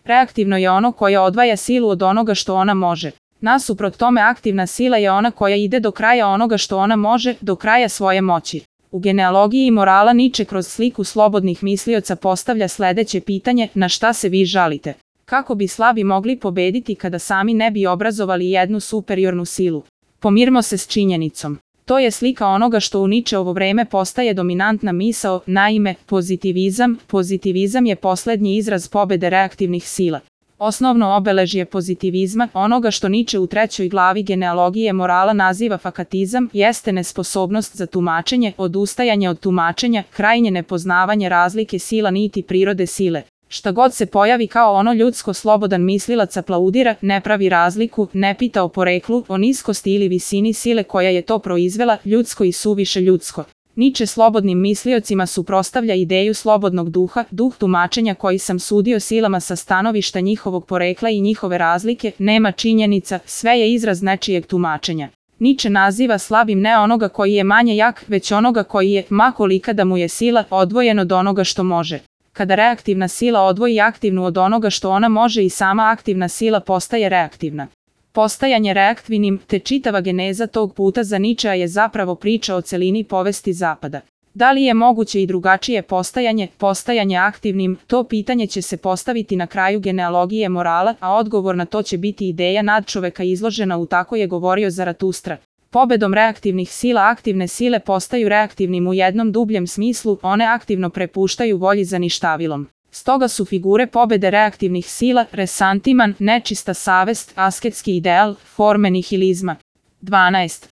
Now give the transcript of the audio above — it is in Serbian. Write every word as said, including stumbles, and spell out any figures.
Reaktivno je ono koje odvaja silu od onoga što ona može. Nasuprot tome aktivna sila je ona koja ide do kraja onoga što ona može, do kraja svoje moći. U genealogiji morala Nietzsche kroz sliku slobodnih mislioca postavlja sledeće pitanje: na šta se vi žalite? Kako bi slabi mogli pobediti kada sami ne bi obrazovali jednu superiornu silu? Pomirimo se s činjenicom. To je slika onoga što u Nietzscheovo vreme postaje dominantna misao, naime, pozitivizam. Pozitivizam je poslednji izraz pobede reaktivnih sila. Osnovno obeležje pozitivizma, onoga što Nietzsche u trećoj glavi genealogije morala naziva fakatizam, jeste nesposobnost za tumačenje, odustajanje od tumačenja, krajnje nepoznavanje razlike sila niti prirode sile. Šta god se pojavi kao ono ljudsko, slobodan mislilac aplaudira, ne pravi razliku, ne pita o poreklu, o niskosti ili visini sile koja je to proizvela, ljudsko i suviše ljudsko. Nietzsche slobodnim misliocima suprotstavlja ideju slobodnog duha, duh tumačenja koji sam sudio silama sa stanovišta njihovog porekla i njihove razlike, nema činjenica, sve je izraz nečijeg tumačenja. Nietzsche naziva slabim ne onoga koji je manje jak, već onoga koji je, ma kolika da mu je sila, odvojen od onoga što može. Kada reaktivna sila odvoji aktivnu od onoga što ona može i sama aktivna sila postaje reaktivna. Postajanje reaktivnim, te čitava geneza tog puta za Nietzschea je zapravo priča o celini povesti Zapada. Da li je moguće i drugačije postajanje, postajanje aktivnim, to pitanje će se postaviti na kraju genealogije morala, a odgovor na to će biti ideja nadčoveka izložena u Tako je govorio Zaratustra. Pobedom reaktivnih sila aktivne sile postaju reaktivnim u jednom dubljem smislu, one aktivno prepuštaju volji za ništavilom. Stoga su figure pobede reaktivnih sila, resantiman, nečista savest, asketski ideal, forme nihilizma. dvanaest.